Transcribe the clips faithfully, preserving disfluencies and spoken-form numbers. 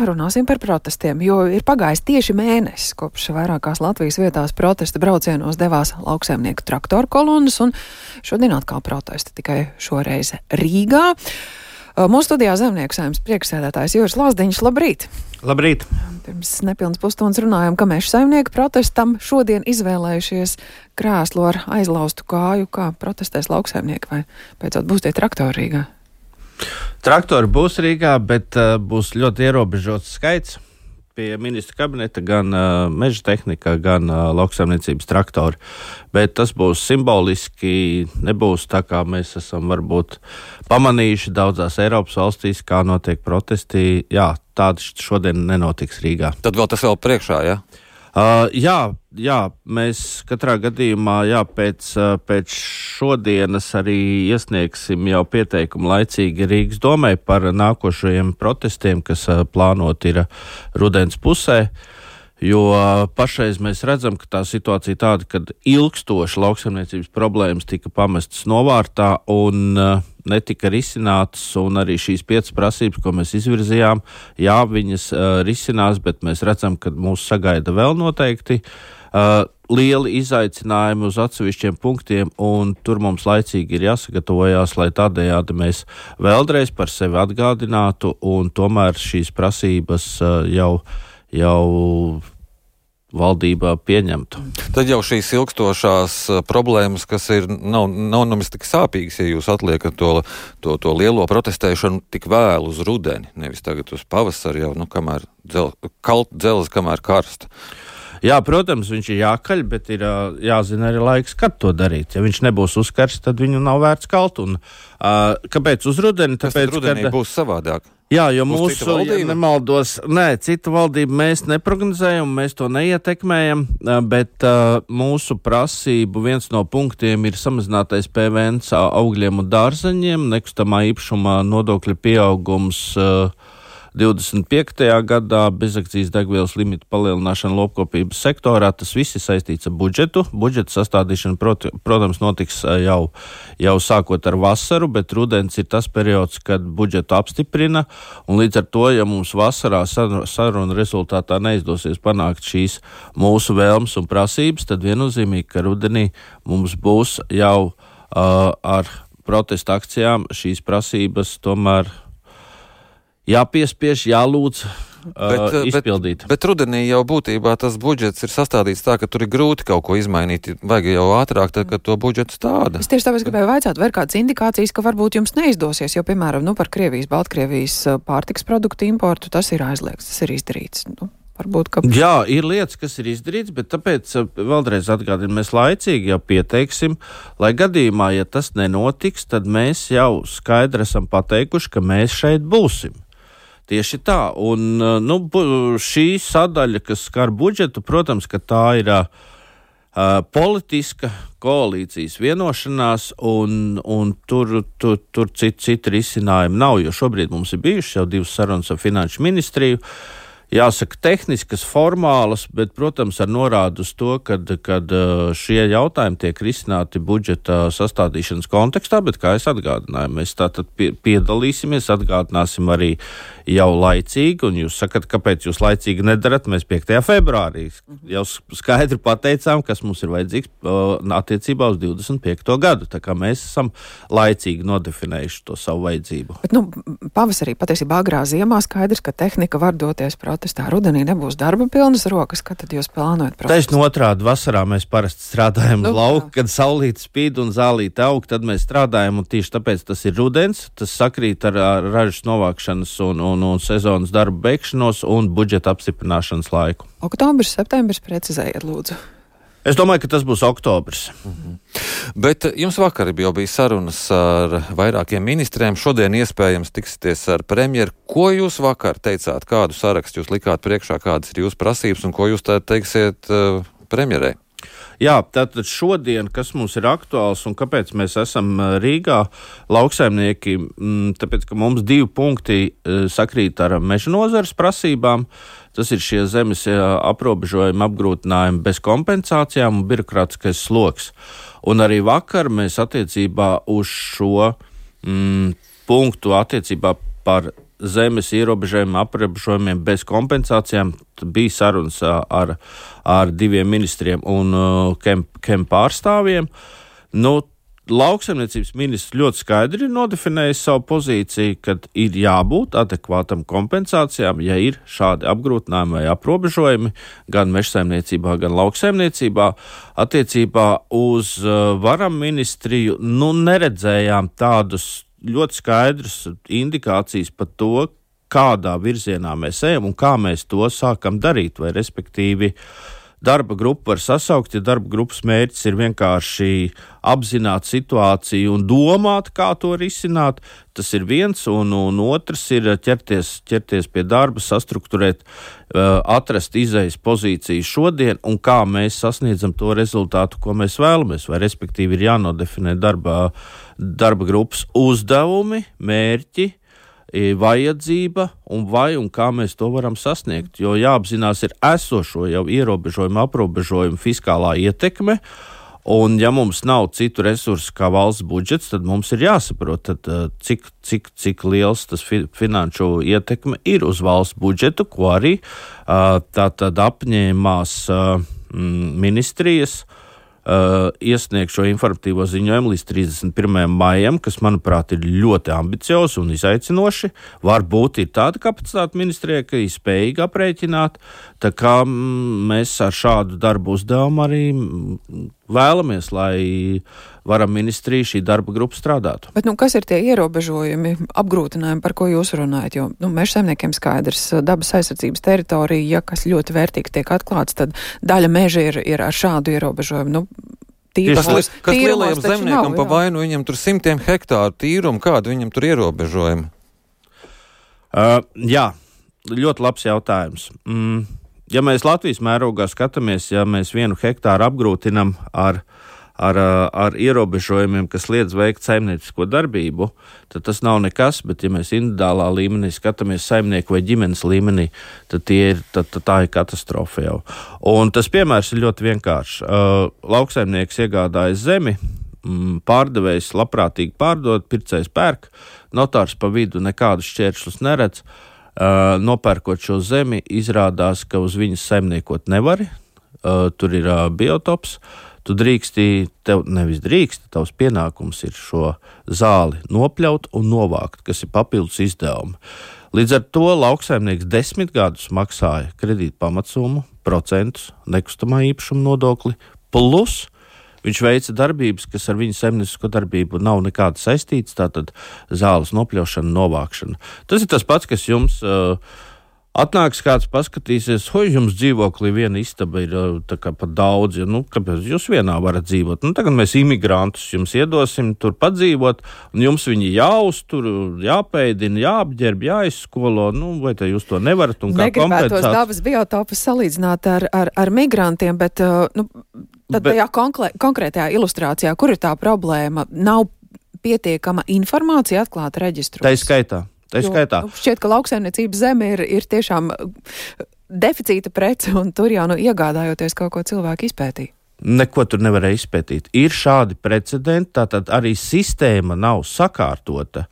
runāsim par protestiem, jo ir pagājis tieši mēnesis, kopš vairākās Latvijas vietās protesta braucienos devās lauksaimnieku traktoru kolonas, un šodien atkal protesti, tikai šoreiz Rīgā. Mūsu studijā Zemnieku saimnes priekšsēdētājs Juris Lazdiņš. Labrīt! Labrīt! Pirms nepilnas pusstundas runājām, ka meža saimnieku protestam šodien izvēlējušies krēslu ar aizlaustu kāju. Kā protestēs lauksaimnieki, vai beidzot būs tie traktori Rīgā? Traktori būs Rīgā, bet uh, būs ļoti ierobežots skaits. Pie ministra kabineta gan uh, meža tehnika, gan uh, lauksaimniecības traktori. Bet tas būs simboliski, nebūs tā, kā mēs esam varbūt pamanījuši daudzās Eiropas valstīs, kā notiek protesti. Jā, tādi šodien nenotiks Rīgā. Tad vēl tas vēl priekšā, jā? Ja? Uh, jā, jā, mēs katrā gadījumā jā, pēc, uh, pēc šodienas arī iesniegsim jau pieteikumu laicīgi Rīgas domai par nākošajiem protestiem, kas uh, plānot ir rudens pusē, jo uh, pašreiz mēs redzam, ka tā situācija tāda, kad ilgstoši lauksaimniecības problēmas tika pamestas novārtā un uh, netika risinātas, un arī šīs piecas prasības, ko mēs izvirzījām, jā, viņas uh, risinās, bet mēs redzam, ka mūs sagaida vēl noteikti uh, lieli izaicinājumi uz atsevišķiem punktiem, un tur mums laicīgi ir jāsagatavojās, lai tādējādi mēs vēlreiz par sevi atgādinātu, un tomēr šīs prasības uh, jau, jau valdībā pieņemtu. Tad jau šīs ilgstošās problēmas, kas ir, nav, nav nemaz tik sāpīgas, ja jūs atliekat to, to, to lielo protestēšanu tik vēlu uz rudeni, nevis tagad uz pavasari jau, nu, kamēr dzel, kalt dzeles, kamēr karsta. Jā, protams, viņš ir jākaļ, bet ir jāzina arī laiks, kad to darīt. Ja viņš nebūs uzkarsts, tad viņu nav vērts kalt. Un, uh, kāpēc uz rudeni? Tāpēc, Kas rudenī kad būs savādāk? Jā, jo Būs mūsu, ja nemaldos, nē, citu valdību mēs neprognozējam, mēs to neietekmējam, bet uh, mūsu prasību viens no punktiem ir samazinātais P V N augļiem un dārzeņiem, nekustamā īpašumā nodokļa pieaugums uh, divdesmit piektajā gadā, bezakcijas degvielas limitu palielināšana lopkopības sektorā. Tas viss ir saistīts ar budžetu. Budžeta sastādīšana, prot, protams, notiks jau, jau sākot ar vasaru, bet rudens ir tas periods, kad budžetu apstiprina, un līdz ar to, ja mums vasarā saruna rezultātā neizdosies panākt šīs mūsu vēlmes un prasības, tad viennozīmīgi, ka rudenī mums būs jau uh, ar protesta akcijām šīs prasības tomēr jāpiespiež, jālūdz uh, bet, izpildīt. Bet, bet rudenī jau būtībā tas budžets ir sastādīts tā, ka tur ir grūti kaut ko izmainīt. Vajag jau ātrāk, tad, kad to budžetu stāda. Es tieši tāpēc gribēju vaicāt, vai ir kādas indikācijas, ka varbūt jums neizdosies, jo, piemēram, nu, par Krievijas, Baltkrievijas pārtikas produktu importu tas ir aizliegts, tas ir izdarīts. Nu, varbūt, ka... Jā, ir lietas, kas ir izdarīts, bet tāpēc vēlreiz atgādinu, mēs laicīgi jau pieteiksim, lai gadījumā, ja tas nenotiks, tad mēs jau skaidri esam pateikuši, ka mēs šeit būsim. Tieši tā, un nu, šī sadaļa, kas skar budžetu, protams, ka tā ir uh, politiska koalīcijas vienošanās, un, un tur, tur, tur citu, citu risinājumu nav, jo šobrīd mums ir bijušas jau divas sarunas ar finanšu ministriju. Jāsaka, tehniskas, formālas, bet, protams, ar norādu uz to, kad, kad šie jautājumi tiek risināti budžeta sastādīšanas kontekstā, bet, kā es atgādināju, mēs tātad piedalīsimies, atgādināsim arī jau laicīgi, un jūs sakat, kāpēc jūs laicīgi nedarat, mēs piektajā februārī jau skaidri pateicām, kas mums ir vajadzīgs attiecībā uz divdesmit piekto gadu, tā kā mēs esam laicīgi nodefinējuši to savu vajadzību. Bet, nu, pavasarī, patiesībā agrā ziemā skaidrs, ka tehnika var doties protestā. Rudenī nebūs darba pilnas rokas, kad tad jūs plānojat protestu? Taisn otrādi, vasarā mēs parasti strādājam uz lauku, kad saulīte spīd un zālīte aug, tad mēs strādājam, un tieši tāpēc tas ir rudens, tas sakrīt ar, ar ražas novākšanas un, un, un sezonas darba beigšanos un budžeta apstiprināšanas laiku. Oktobris, septembris, precizējiet, lūdzu. Es domāju, ka tas būs oktobris. Mhm. Bet jums vakar jau bija sarunas ar vairākiem ministriem, šodien iespējams tiksieties ar premjeru. Ko jūs vakar teicāt, kādu sarakstu jūs likāt priekšā, kādas ir jūsu prasības un ko jūs tā teiksiet uh, premjerei? Jā, tātad šodien, kas mums ir aktuāls un kāpēc mēs esam Rīgā, lauksaimnieki, tāpēc, ka mums divi punkti sakrīt ar meža nozares prasībām. Tas ir šie zemes aprobežojumi, apgrūtinājumi bez kompensācijām un birokrātiskais sloks. Un arī vakar mēs attiecībā uz šo mm, punktu attiecībā par zemes ierobežojumiem, aprobežojumiem bez kompensācijām. Bija sarunas ar, ar diviem ministriem un uh, kem, kem pārstāvjiem. Nu, lauksaimniecības ministrs ļoti skaidri ir nodefinējis savu pozīciju, kad ir jābūt adekvātam kompensācijām, ja ir šādi apgrūtinājumi vai aprobežojumi gan mežsaimniecībā, gan lauksaimniecībā. Attiecībā uz uh, varam ministriju, nu, neredzējām tādus ļoti skaidrus indikācijas par to, kādā virzienā mēs ejam un kā mēs to sākam darīt, vai respektīvi darba grupu var sasaukt, ja darba grupas mērķis ir vienkārši apzināt situāciju un domāt, kā to risināt. Tas ir viens, un, un otrs ir ķerties, ķerties pie darba, sastrukturēt, atrast izejas pozīciju šodien un kā mēs sasniedzam to rezultātu, ko mēs vēlamies. Vai respektīvi ir jānodefinē darba, darba grupas uzdevumi, mērķi, vajadzība un vai un kā mēs to varam sasniegt, jo jāapzinās ir esošo jau ierobežojumu, aprobežojumu fiskālā ietekme, un ja mums nav citu resursu kā valsts budžets, tad mums ir jāsaprot, tad, cik, cik, cik liels tas fi, finanšu ietekme ir uz valsts budžetu, ko arī tā tad apņēmās ministrijas Uh, iesniegt šo informatīvo ziņojumu līdz trīsdesmit pirmajam maijam, kas, manuprāt, ir ļoti ambiciozi un izaicinoši. Varbūt ir tāda kapacitāte ministrijai, ka ir spējīga aprēķināt, tā kā mm, mēs ar šādu darbu uzdevumu arī vēlamies, lai varam ministrija šī darba grupa strādātu. Bet, nu, kas ir tie ierobežojumi, apgrūtinājumi, par ko jūs runājat? Jo, nu, mežsaimniekiem skaidrs, dabas aizsardzības teritorija, ja kas ļoti vērtīgi tiek atklāts, tad daļa meža ir, ir ar šādu ierobežojumu. Nu, tīrumos, kas kas lielajam zemniekam nav, pa vainu, viņam tur simtiem hektāru tīrumu, kādu viņam tur ierobežojumi? Uh, jā, ļoti labs jautājums. Mm, ja mēs Latvijas mērogā skatāmies, ja mēs vienu hektāru apgrūtinam ar Ar, ar ierobežojumiem, kas liedz veikt saimniecisko darbību, tad tas nav nekas, bet ja mēs individuālā līmenī skatāmies saimnieku vai ģimenes līmenī, tad, ir, tad, tad tā ir katastrofa jau. Un tas piemērs ir ļoti vienkāršs. Uh, lauksaimnieks iegādājas zemi, mm, pārdevējs labprātīgi pārdod, pircējs pērk, notārs pa vidu nekādus šķēršļus neredz. Uh, nopērkot šo zemi, izrādās, ka uz viņas saimniekot nevari, uh, tur ir uh, biotops. Tu drīksti, tev nevis drīksti, tavs pienākums ir šo zāli nopļaut un novākt, kas ir papildus izdevumi. Līdz ar to lauksaimnieks desmit gadus maksāja kredīta pamatsumu, procentus, nekustamā īpašuma nodokli, plus viņš veica darbības, kas ar viņu saimniecisko darbību nav nekāda saistītas, tātad zāles nopļaušana, novākšana. Tas ir tas pats, kas jums uh, atnāks kāds paskatīsies, hoj, jums dzīvoklī viena istaba ir tā kā pat daudz, ja, nu, kāpēc jūs vienā varat dzīvot? Nu, tagad mēs imigrantus jums iedosim tur padzīvot, un jums viņi jāuztur, jāpēdina, jāapģerb, jāizskolo, nu, vai te jūs to nevarat un kā kompensāt? Negribētos dabas biotopus salīdzināt ar, ar, ar migrantiem, bet, nu, tad bet, tajā konkrē, konkrētajā ilustrācijā, kur ir tā problēma? Nav pietiekama informācija atklāta reģistros? Tā ir skaitā. Tā jo, skaitā. Nu, šķiet, ka lauksaimniecības zeme ir, ir tiešām deficīta prece, un tur jau nu iegādājoties kaut ko cilvēku izpētīja. Neko tur nevarēja izpētīt. Ir šādi precedenti, tātad arī sistēma nav sakārtota.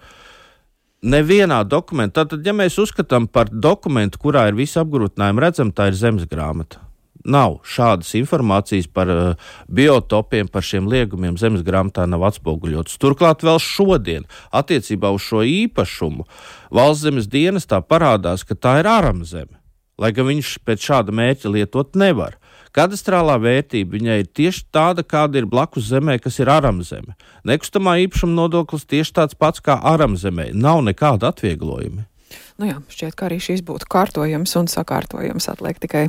Nevienā dokumentā, tātad, ja mēs uzskatām par dokumentu, kurā ir visi apgrūtinājumi, redzam, tā ir zemes grāmata. Nav šādas informācijas par uh, biotopiem, par šiem liegumiem zemes grāmatā nav atspoguļotas. Turklāt vēl šodien attiecībā uz šo īpašumu valsts zemes dienestā parādās, ka tā ir ārzeme, lai gan viņš pēc šāda mērķa lietot nevar. Kadastrālā vērtība viņai ir tieši tāda, kāda ir blakus zemē, kas ir ārzeme. Nekustamā īpašuma nodoklis tieši tāds pats kā ārzemē. Nav nekāda atvieglojuma. Nu jā, šķiet, ka arī šīs būtu kārtojams un sakārtojams. Atliek tikai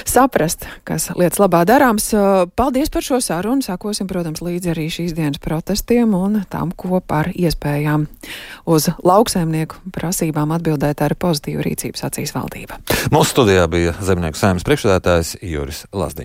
saprast, kas lietas labā darāms. Paldies par šo sarunu. Sakosim, protams, līdzi arī šīs dienas protestiem un tam, ko par iespējām uz lauksaimnieku prasībām atbildēt ar pozitīvu rīcību sacīs valdība. Mūsu studijā bija Zemnieku saimnes priekšsēdētājs Juris Lazdiņš.